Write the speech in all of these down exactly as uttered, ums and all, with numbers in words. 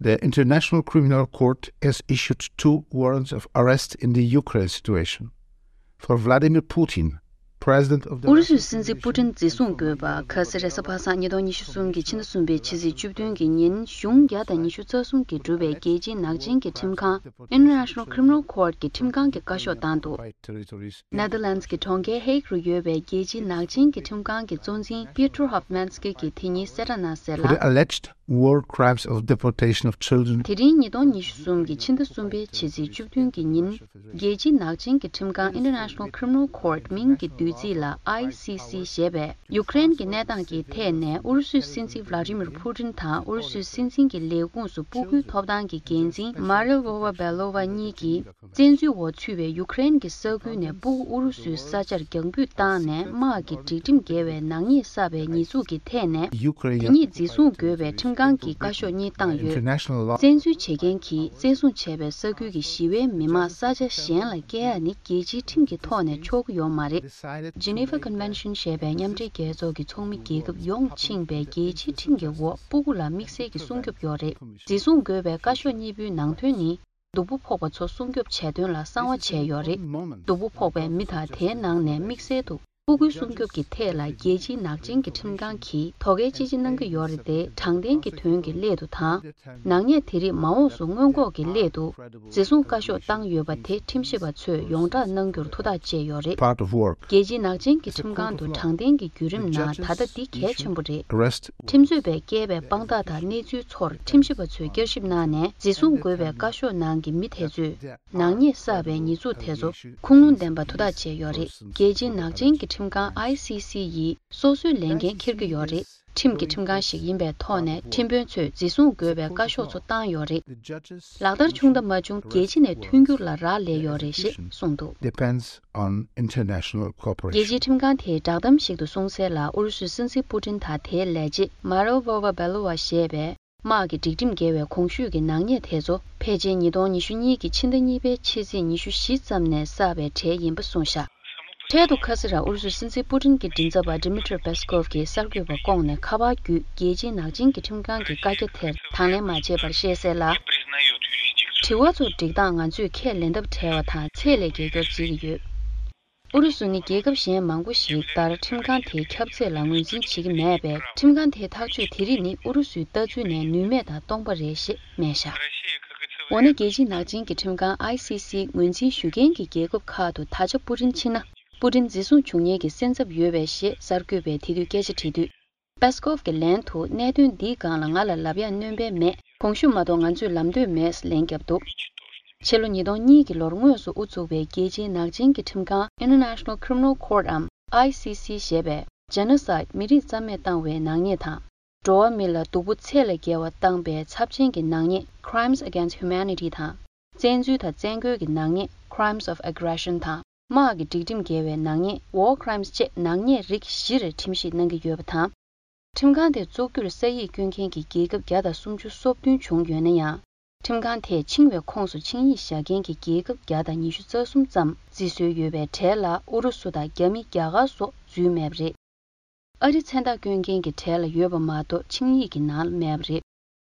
The International Criminal Court has issued two warrants of arrest in the Ukraine situation for Vladimir Putin, president of the ཨུ་རུ་སུའི་སྲིད་འཛིན་པུ་ཏིན་འཛིན་བཟུང་དགོས་པ། ཁ་སང་རེས་གཟའ་པ་སངས་ཉིས་སྟོང་ཉི་ཤུ་གསུམ་གྱི་ཕྱི་ཟླ་གསུམ་པའི་ཕྱི་ཚེས་བཅུ་བདུན་གྱི་ཉིན་གཞུང་བརྒྱ་དང་ཉི་ཤུ་རྩ་གསུམ་གྱིས་གྲུབ་པའི་རྒྱལ་སྤྱིའི་ནག་ཅན་གྱི་ཁྲིམས་ཁང་International Criminal Court གྱི་ཁྲིམས་ཁང་གིས་བཀའ་ཤོག་བཏང་འདུག། Netherlands གྱི་གྲོང་ཁྱེར་Hague རུ་ཡོད་པའི་རྒྱལ་སྤྱིའི་ནག་ཅན་གྱི་ཁྲིམས་ཁང་གི་གཙོ་འཛིན་Peter Hofmans གྱིས་དེ་ཉིན་གསལ་བསྒྲགས་གནང་གསལ་ལ། For the alleged war crimes of deportation of children. དེ་རིང་ཉིས་སྟོང་ཉི་ཤུ་གསུམ་གྱི་ཕྱི་ཟླ་གསུམ་པའི་ཕྱི་ཚེས་བཅུ་བདུན་གྱི་ཉིན། རྒྱལ་སྤྱིའི་ནག་ཅན་གྱི་ཁྲིམས་ཁང་International Criminal Court མིང་གི་བསྡུས་ཚིག་ལ་I C C ཞེས་པས། ཡུ་ཀེ་རེན་གྱི་གནས་སྟངས་ཀྱི་ཐད་ནས་ཨུ་རུ་སུའི་སྲིད་འཛིན་Vladimir Putin དང་ཨུ་རུ་སུའི་སྲིད་འཛིན་གྱི་ལས་ཁུངས་སུ་སྤུ་གུའི་ཐོབ་ཐང་གི་འགན་འཛིན་Maria Lvova Belova གཉིས་ཀྱིས། བཙན་འཛུལ་འོག་ཚུད་པའི་ཡུ་ཀེ་རེན་གྱི་ས་ཁུལ་ནས་སྤུ་གུ་ཨུ་རུ་སུའི་ས་ཆར་རྒྱང་འབུད་བཏང་ནས་དམག་གི་སྒྲིག་ཁྲིམས་འགལ་བའི་ནག་ཉེས་བསགས་པའི་ཉེས་འཛུགས་ཀྱི་ཐད་ནས། དེ་ཉིད་འཛིན་བཟུང་དགོས་པའི་ཁྲིམས་ཁང་གིས་བཀའ་ཤོག་གཉིས་བཏང་ཡོད། བཙན་འཛུལ་བྱེད་མཁན་གྱིས་བཙན་བཟུང་བྱས་པའི་ས་ཁུལ་གྱི་ཞི་བའི་མི་མང་ས་ཆ་གཞན་ལ་བསྐྱལ་ཡ་ནི་རྒྱལ་སྤྱིའི་ཁྲིམས་ཀྱི་ཐོག་ནས་ཆོག་གི་ཡོད་མ་རེད། Geneva Convention ཞེས་པའི་མཉམ་འབྲེལ་རྒྱལ་ཚོགས་ཀྱི་ཚོགས་མི་རྒྱལ་ཁབ་ཡོངས་ཕྱིན་པའི་རྒྱལ་སྤྱིའི་ཁྲིམས་ཀྱི་འོག་སྤུ་གུ་ལ་དམིགས་བསལ་གྱི་སྲུང་སྐྱོབ་ཡོད་རེད། འཛིན་བཟུང་དགོས་པའི་བཀའ་ཤོག་གཉིས་པོའི་ནང་དོན་ནི། སྡུག་པོ་ཕོག་པ་ཚོ་སྲུང་སྐྱོབ་བྱས་དོན་ལ་གསང་བ་བྱས་ཡོད་རེད། སྡུག་པོ་ཕོག་པའི་མི་དང་དེའི་ནང་ནས་དམིགས་བསལ་དུ་སྤུ་གུའི་སྲུང་སྐྱོབ་ཀྱི་ཐད་ ལ་རྒྱལ་སྤྱིའི་ནག་ཅན་གྱི་ཁྲིམས་ཁང་གིས་དོ་གལ་ཅི་ཆེ་གནང་གི་ཡོད་རེད་དེ། དྲང་བདེན་གྱི་དོན་གྱི་སླད་དུ་དང་། ནག་ཉེས་དེ་རིགས་མ་འོངས་སུ་སྔོན་འགོག་གི་སླད་དུ་འཛིན་བཟུང་བཀའ་ཤོག་བཏང་ཡོད་པ་དེ་ཁྲིམས་ཞིབ་པ་ཚོས་ཡོངས་བསྒྲགས་གནང་རྒྱུར་ཐུགས་ཐག་བཅད་ཡོད་རེད། Part of work. རྒྱལ་སྤྱིའི་ནག་ཅན་གྱི་ཁྲིམས་ཁང་དུ་དྲང་བདེན་གྱི་བརྒྱུད་རིམ་ནང་ད་ལྟ་འདི་གལ་ཆེན་པོ་རེད། Arrest. ཁྲིམས་རྩོད་པས་བཀལ་བའི་དཔང་རྟགས་དང་གནས་ཚུལ་ཚོར་ཁྲིམས་ཞིབ་པ་ཚོས་བསྐྱར་ཞིབ་གནང་ནས། འཛིན་བཟུང་དགོས་པའི་བཀའ་ཤོག་ནང་གི་མི་དེ་ཚོས་ནག་ཉེས་བསགས་པའི་ཉེས་འཛུགས་དེ་ཚོ་ཁུངས་ལུང་ལྡན་པ་ཐུགས་ཐག་བཅད་ཡོད་རེད། རྒྱལ་སྤྱིའི་ནག་ཅན་གྱི་ཁྲིམས་ཁང་I C C ཡིས་སོ་སོའི་ལས་འགན་འཁྱེར་གྱི་ཡོད་རེད། ཁྲིམས་ཀྱི་ཁྲིམས་ཁང་ཞིག་ཡིན་པའི་ཐོག་ནས་ཁྲིམས་དཔོན་ཚོས་འཛིན་བཟུང་དགོས་པའི་བཀའ་ཤོག་ཚོ་བཏང་ཡོད་རེད། ལག་བསྟར་བྱུང་དང་མ་བྱུང་རྒྱལ་སྤྱི་ནས་མཐུན་འགྱུར་ལ་རག་ལས་ཡོད་རེད་ཞེས་གསུངས་འདུག། Depends on international cooperation. རྒྱལ་སྤྱིའི་ཁྲིམས་ཁང་དེས་བསྒྲགས་གཏམ་ཞིག་ཏུ་གསུངས་གསལ་ལ། ཨུ་རུ་སུའི་སྲིད་འཛིན་པུ་ཏིན་དང་དེའི་ལས་བྱེད་Maria Lvova Belova ཞེས་པས། དམག་གི་སྒྲིག་ཁྲིམས་འགལ་བའི་གོང་ཞུས་ཀྱི་ནག་ཉེས་དེ་ཚོ་ཕལ་ཆེར་ཉིས་སྟོང་ཉི་ཤུ་གཉིས་ཀྱི་ཕྱི་ཟླ་གཉིས་པའི་ཕྱི་ཚེས་ཉི་ཤུ་བཞི་ཙམ་ནས་བསགས་པའི་གྲས་ཡིན་པ་གསུངས་བཞག། འཕྲལ་དུ་ཁ་སང་ར་ཨུ་རུ་སུའི་སྲིད་འཛིན་པུ་ཏིན་གྱི་མགྲིན་ཚབ་པ་Dmitry Peskov གྱིས་གསར་འགོད་པར་བསྐོངས་ནས་ཁ་པར་བརྒྱུད་རྒྱལ་སྤྱིའི་ནག་ཅན་གྱི་ཁྲིམས་ཁང་གི་བཀའ་རྒྱ་དེར་དང་ལེན་མ་བྱས་པར་བཤད་གསལ་ལ། དྲི་བ་ཚོར་སྒྲིག་སྟངས་ང་ཚོས་ཁས་ལེན་ཐབས་བྲལ་བ་དང་ཚད་ལས་བརྒལ་སྐྱོར་བྱེད་ཀྱི་ཡོད། ཨུ་རུ་སུ་ནི་རྒྱལ་ཁབ་གཞན་མང་པོ་ཞིག་ལྟར་ཁྲིམས་ཁང་དེའི་ཁྱབ་ཚད་ལ་ངོས་འཛིན་བྱེད་ཀྱི་མེད་པས། ཁྲིམས་ཁང་དེའི་ཐག་གཅོད་དེ་རིགས་ནི་ཨུ་རུ་སུའི་ལྟ་ཚུལ་ནས་ནུས་མེད་དང་སྟོང་པ་རེད་ཞེས་སྨྲས་བཞག། འོ་ན་རྒྱལ་སྤྱིའི་ནག་ཅན་གྱི་ཁྲིམས་ཁང་I C C ངོས་འཛིན་ཞུ་མཁན་གྱི་རྒྱལ་ཁབ་ཁག་ཏུ་ད་ཆ་པུ་ཏིན་ཕྱིན་ན། པུ་ཏིན་འཛིན་བཟུང་བྱུང་ཉེན་གྱི་སེམས་འཚབ་ཡོད་པས་ཞེས་གསར་འགོད་པས་དེ་དུས་སྐད་ཆ་དྲིས་དུས། Peskov གྱི་ལན་དུ། གནད་དོན་འདིའི་སྒང་ལ་ང་ལ་ལབ་ཡག་སྣོན་པ་མེད། གོང་ཞུས་མ་གཏོགས་ང་ཚོས་ལབ་འདོད་མེད། ལན་བརྒྱབ་འདུག། ཕྱི་ལོ་ཉིས་སྟོང་གཉིས་ཀྱི་ལོར་དངོས་སུ་དབུ་བཙུགས་པའི་རྒྱལ་སྤྱིའི་ནག་ཅན་གྱི་ཁྲིམས་ཁང་International Criminal Court འམ་I C C ཞེས་པས། Genocide མི་རིགས་རྩ་མེད་བཏང་བའི་ནག་ཉེས་དང་། འགྲོ་བ་མི་ལ་སྡུག་པོ་ཚད་ལས་བརྒལ་བ་བཏང་པའི་ཚབས་ཆེན་གྱི་ནག་ཉེས་Crimes Against Humanity དང་། བཙན་འཛུལ་དང་བཙན་རྒོལ་གྱི་ནག་ཉེས་Crimes of Aggression དང་། དམག་གི་སྒྲིག་ཁྲིམས་འགལ་བའི་ནག་ཉེས་War Crimes བཅས་ནག་ཉེས་རིགས་བཞིར་ཁྲིམས་ཞིབ་གནང་གི་ཡོད་པ་དང་། ཁྲིམས་ཁང་དེ་བཙུགས་རྒྱུར་ས་ཡིག་བསྐྱོན་མཁན་གྱི་རྒྱལ་ཁབ་བརྒྱ་དང་སུམ་ཅུ་སོ་བདུན་བྱུང་ཡོད་ན་ཡང་། ཁྲིམས་ཁང་དེས་འཆིང་བའི་ཁོངས་སུ་ཆིངས་ཡིག་བཞག་མཁན་གྱི་རྒྱལ་ཁབ་བརྒྱ་དང་ཉི་ཤུ་རྩ་གསུམ་ཙམ་བརྩི་སྲོལ་ཡོད་པའི་གྲས་ལ་ཨུ་རུ་སུ་དང་རྒྱ་མི། རྒྱ་གར་སོགས་འཛུལ་མེད་པ་རེད། ཨ་རི་མཚན་རྟགས་བསྐྱོན་མཁན་གྱི་གྲས་ལ་ཡོད་པ་མ་གཏོགས་ཆིངས་ཡིག་གི་ནང་ལ་མེད་པ་རེད།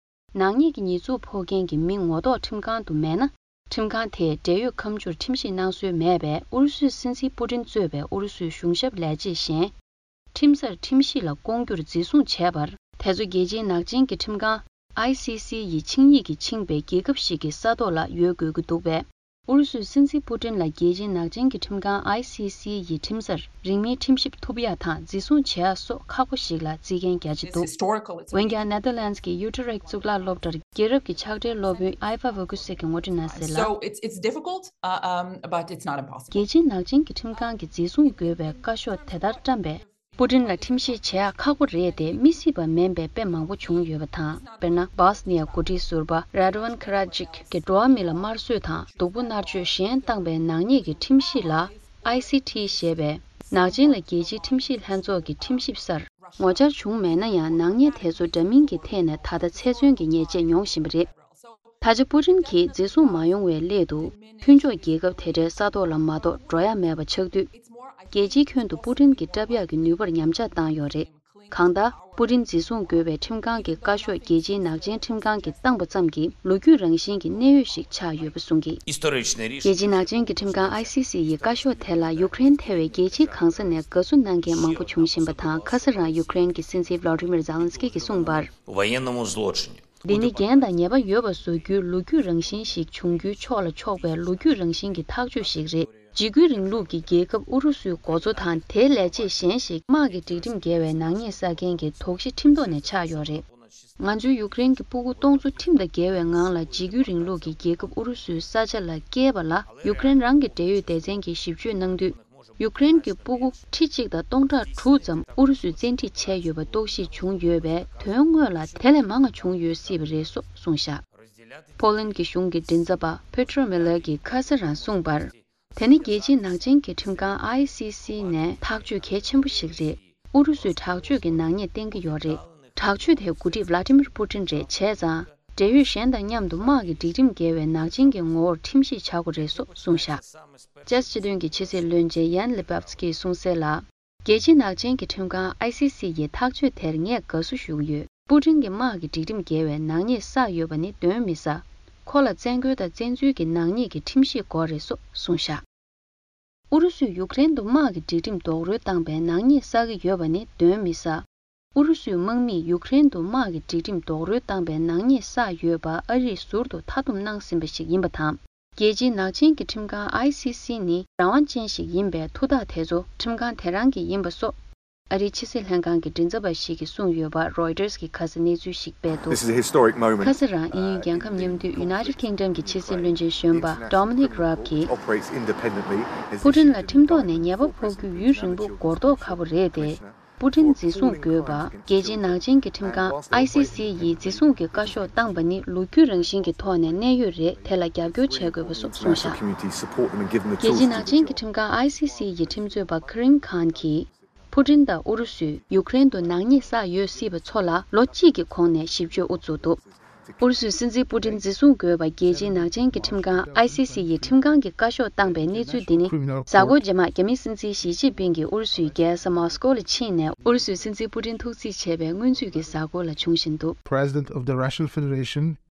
ནག་ཉེས་ཀྱི་ཉེས་འཛུགས་ཕོག་མཁན་གྱི་མི་ངོ་ཐོག་ཁྲིམས་ཁང་དུ་མེད་ན། ཁྲིམས་ཁང་དེས་འབྲེལ་ཡོད་ཁ་མཆུར་ཁྲིམས་ཞིབ་གནང་སྲོལ་མེད་པས། ཨུ་རུ་སུའི་སྲིད་འཛིན་པུ་ཏིན་གཙོས་པའི་ཨུ་རུ་སུའི་གཞུང་ཞབས་ལས་བྱེད་གཞན། ཁྲིམས་སར་ཁྲིམས་ཞིབ་ལ་བསྐོང་རྒྱུར་འཛིན་བཟུང་བྱས་པར། དེ་ཚོ་རྒྱལ་སྤྱིའི་ནག་ཅན་གྱི་ཁྲིམས་ཁང་I C C ཡི་ཆིངས་ཡིག་གིས་འཆིང་བའི་རྒྱལ་ཁབ་ཞིག་གི་ས་ཐོག་ལ་ཡོད་དགོས་ཀྱི་འདུག་པས། ཨུ་རུ་སུའི་སྲིད་འཛིན་པུ་ཏིན་ལ་རྒྱལ་སྤྱིའི་ནག་ཅན་གྱི་ཁྲིམས་ཁང་I C C ཡི་ཁྲིམས་སར་རིང་མིན་ཁྲིམས་ཞིབ་ཐུབ་ཡག་དང་འཛིན་བཟུང་བྱེད་ཡག་སོགས་ཁག་པོ་ཞིག་ལ་བརྩི་མཁན་རྒྱ་ཆེ་འདུག། འོན་ཀྱང་། Netherlands གྱི་Utrecht གཙུག་ལག་སློབ་གྲྭར་རྒྱལ་རབས་ཀྱི་ཕྱག་སྦྲེལ་སློབ་དཔོན་Iva Vergoes གྱིས་ངོ་སྤྲོད་གནང་གསལ་ལ། So it's, it's difficult, uh, um, but it's not impossible. རྒྱལ་སྤྱིའི་ནག་ཅན་གྱི་ཁྲིམས་ཁང་གིས་འཛིན་བཟུང་དགོས་པའི་བཀའ་ཤོག་དེ་ལྟར་བཀྲམ་པས། པུ་ཏིན་ལ་ཁྲིམས་ཞིབ་བྱེད་ཡག་ཁག་པོ་རེད་དེ། མི་སྲིད་པ་མིན་པའི་དཔེ་མང་པོ་བྱུང་ཡོད་པ་དང་། དཔེར་ན། སྦོས་ནི་ཡ་འགོ་ཁྲིད་ཟུར་པ་Radovan Karadzic གིས་འགྲོ་བ་མི་ལ་དམར་གསོད་དང་སྡུག་པོ་མནར་གཅོད་གཞན་བཏང་པའི་ནག་ཉེས་ཀྱི་ཁྲིམས་གཞི་ལ་I C T ཞེས་པའི་ནག་ཅན་ལ་རྒྱལ་སྤྱིའི་ཁྲིམས་ཞིབ་ལྷན་ཚོགས་ཀྱི་ཁྲིམས་ཞིབ་སར་ངོ་བཅར་བྱུང་མེད་ན་ཡང་། ནག་ཉེས་དེ་ཚོ་འདྲ་མིན་གྱི་ཐད་ནས་ད་ལྟ་ཚེ་བཙོན་གྱི་ཉེས་ཆད་མྱོང་བཞིན་པ་རེད། ད་ཆ་པུ་ཏིན་གྱིས་འཛིན་བཟུང་མ་ཡོང་བའི་སླད་དུ། མཐུན་ཕྱོགས་རྒྱལ་ཁབ་དེ་འདྲའི་ས་ཐོག་ལ་མ་གཏོགས་འགྲོ་ཡ་མེད་པ་ཆགས་དུས། རྒྱལ་སྤྱིའི་ཁྱོན་དུ་པུ་ཏིན་གྱི་བཀྲབ་ཡག་གི་ནུས་པར་ཉམས་ཆག་བཏང་ཡོད་རེད། གང་ལྟར། པུ་ཏིན་འཛིན་བཟུང་དགོས་པའི་ཁྲིམས་ཁང་གི་བཀའ་ཤོག་རྒྱལ་སྤྱིའི་ནག་ཅན་ཁྲིམས་ཁང་གིས་བཏང་པ་ཙམ་གྱིས་ལོ་རྒྱུས་རང་བཞིན་གྱི་གནད་ཡོད་ཞིག་ཆགས་ཡོད་པ་གསུངས་ཀྱིས། རྒྱལ་སྤྱིའི་ནག་ཅན་གྱི་ཁྲིམས་ཁང་ཨའི་སི་སི་ཡི་བཀའ་ཤོག་དེ་ལ་ཡུཀ་རེན་ཐེ་བའི་རྒྱལ་སྤྱིའི་གང་ས་ནས་དགའ་བསུ་གནང་མཁན་མང་པོ་བྱུང་བཞིན་པ་དང་། ཁ་སང་རང་ཡུཀ་རེན་གྱི་སྲིད་འཛིན་Volodymyr Zelensky གིས་གསུངས་པར། Военному злочину. འདི་ནི་འགན་དང་ཉེས་པ་ཡོད་པ་བཟོ་རྒྱུའི་ལོ་རྒྱུས་རང་བཞིན་ཞིག་བྱུང་རྒྱུའི་ཕྱོགས་ལ་ཕྱོགས་པའི་ལོ་རྒྱུས་རང་བཞིན་གྱི་ཐག་གཅོད་ཞིག་རེད། འཇིགས་སྐུལ་རིང་ལུགས་ཀྱི་རྒྱལ་ཁབ་ཨུ་རུ་སུའི་འགོ་གཙོ་དང་དེའི་ལས་བྱེད་གཞན་ཞིག་དམག་གི་སྒྲིག་ཁྲིམས་འགལ་བའི་ནག་ཉེས་བསགས་མཁན་གྱི་དོགས་གཞི་ཁྲིམས་ཐོག་ནས་ཆགས་ཡོད་རེད། ང་ཚོའི་ཡུཀ་རེན་གྱི་སྤུ་གུ་སྟོང་ཚོ་ཁྲིམས་དང་འགལ་བའི་ངང་ལ་འཇིགས་སྐུལ་རིང་ལུགས་ཀྱི་རྒྱལ་ཁབ་ཨུ་རུ་སུའི་ས་ཆ་ལ་བསྐྱལ་བ་ལ་ཡུཀ་རེན་རང་གི་འབྲེལ་ཡོད་སྡེ་ཚན་གྱིས་ཞིབ་དཔྱོད་གནང་དུས། ཡུཀ་རེན་གྱི་སྤུ་གུ་ཁྲི་གཅིག་དང་སྟོང་ཕྲག་དྲུག་ཙམ་ཨུ་རུ་སུས་བཙན་ཁྲིད་བྱས་ཡོད་པ་རྟོག་ཞིབ་བྱུང་ཡོད་པས། དོན་དངོས་ལ་དེ་ལས་མང་བ་བྱུང་ཡོད་སྲིད་པ་རེད་སོགས་གསུངས་བཞག་པོ་ལན་གྱི་གཞུང་གི་མགྲིན་ཚབ་པ་Petro Miller གྱིས་ཁ་སང་རང་གསུངས་པར། དེ་ནི་རྒྱལ་སྤྱིའི་ནག་ཅན་གྱི་ཁྲིམས་ཁང་ཨའི་སི་སི་ནས་ཐག་གཅོད་གལ་ཆེན་པོ་ཞིག་རེད། ཨུ་རུ་སུའི་དྲག་སྤྱོད་ཀྱི་ནག་ཉེས་བསྟན་གྱི་ཡོད་རེད། དྲག་སྤྱོད་དེའི་འགོ་ཁྲིད་Vladimir Putin རེད། བྱས་ཙང་། འབྲེལ་ཡོད་གཞན་དང་མཉམ་དུ་དམག་གི་སྒྲིག་ཁྲིམས་འགལ་བའི་ནག་ཅན་གྱི་ངོ་བོར་ཁྲིམས་ཞིབ་བྱ་དགོས་རེད་སོགས་གསུངས་བཞག་ཅེས་སྤྱི་མཐུན་གྱི་ཕྱི་སྲིད་བློན་ཆེན་Jan Lipavsky གསུངས་གསལ་ལ། རྒྱལ་སྤྱིའི་ནག་ཅན་གྱི་ཁྲིམས་ཁང་ཨའི་སི་སི་ཡི་ཐག་གཅོད་དེར་ངས་དགའ་བསུ་ཞུ་གི་ཡོད། པུ་ཏིན་གྱི་དམག་གི་སྒྲིག་ཁྲིམས་འགལ་བའི་ནག་ཉེས་བསགས་ཡོད་པ་ནི་གདོན་མི་ཟ། ཁོ་ལ་བཙན་རྒོལ་དང་བཙན་འཛུལ་གྱི་ནག་ཉེས་ཀྱི་ཁྲིམས་ཞིབ་དགོས་རེད་སོགས་གསུངས་བཞག་ཨུ་རུ་སུས་ཡུཀ་རེན་དུ་དམག་གི་སྒྲིག་ཁྲིམས་རྡོག་རོལ་བཏང་པའི་ནག་ཉེས་བསགས་ཀྱི་ཡོད་པ་ནི་གདོན་མི་ཟ། ཨུ་རུ་སུའི་དམག་མིས་ཡུཀ་རེན་དུ་དམག་གི་སྒྲིག་ཁྲིམས་རྡོག་རོལ་བཏང་པའི་ནག་ཉེས་བསགས་ཡོད་པ་ཨ་རིས་ཟུར་དུ་མཐའ་སྡོམ་གནང་ཟིན་པ་ཞིག་ཡིན་པ་དང་། རྒྱལ་སྤྱིའི་ནག་ཅན་གྱི་ཁྲིམས་ཁང་ཨའི་སི་སི་ནི་རང་དབང་ཅན་ཞིག་ཡིན་པས། ཐུགས་ཐག་དེ་ཚོ་ཁྲིམས་ཁང་དེ་རང་གི་ཡིན་པ་སོགས། ཨ་རིའི་ཕྱི་སྲིད་ལྷན་ཁང་གི་མགྲིན་ཚབ་པ་ཞིག་གིས་གསུངས་ཡོད་པ་Reuters གིས་ཁ་སང་གནས་ཚུལ་ཞིག་སྤེལ་འདུག This is a historic moment. ཁ་སང་རང་དབྱིན་ཡུལ་རྒྱལ་ཁབ་མཉམ་འདུས་United Kingdom གྱི་ཕྱི་སྲིད་བློན་ཆེན་གཞོན་པ་Dominic Raab གིས། Operates independently. His པུ་ཏིན་ལ་ཁྲིམས་ཐོག་ནས་ཉེས་པ་ཕོག་རྒྱུའི་ཡུན་རིང་པོ་འགོར་མདོག་ཁ་པོ་རེད་དེ། པུ་ཏིན་འཛིན་བཟུང་དགོས་པ། རྒྱལ་སྤྱིའི་ནག་ཅན་གྱི་ཁྲིམས་ཁང་ཨའི་སི་སི་ཡིས་འཛིན་བཟུང་གི་བཀའ་ཤོག་བཏང་པ་ནི་ལོ་རྒྱུས་རང་བཞིན་གྱི་ཐོག་ནས་གནད་ཡོད་རེད། དེ་ལ་རྒྱབ་སྐྱོར་བྱེད་དགོས་པ་སོགས་གསུངས་བཞག་རྒྱལ་སྤྱིའི་ནག་ཅན་གྱི་ཁྲིམས་ཁང་ཨའི་སི་སི་ཡི་ཁྲིམས་རྩོད་པ་Karim Khan གྱིས། པུ་ཏིན་དང་ཨུ་རུ་སུས་ཡུཀ་རེན་དུ་ནག་ཉེས་བསགས་ཡོད་སྲིད་པ་ཚོ་ལ་ལོ་གཅིག་གི་གོང་ནས་ཞིབ་དཔྱོད་དབུ་བཙུགས་འདུག་ཨུ་རུ་སུའི་སྲིད་འཛིན་པུ་ཏིན་འཛིན་བཟུང་དགོས་པ་རྒྱལ་སྤྱིའི་ནག་ཅན་གྱི་ཁྲིམས་ཁང་ཨའི་སི་སི་ཡི་ཁྲིམས་ཁང་གིས་བཀའ་ཤོག་བཏང་པའི་གནས་ཚུལ་འདི་ནི། གཟའ་འཁོར་རྗེས་མ་རྒྱ་མིའི་སྲིད་འཛིན་ཞི་ཅིན་ཕིང་གིས་ཨུ་རུ་སུའི་རྒྱལ་ས་མོ་སི་ཀོ་ལ་ཕྱིན་ནས་ཨུ་རུ་སུའི་སྲིད་འཛིན་པུ་ཏིན་ཐུག་རྩིས་བྱས་པའི་སྔོན་ཚུད་ཀྱི་གཟའ་འཁོར་ལ་བྱུང་བཞིན་འདུག President of the Russian Federation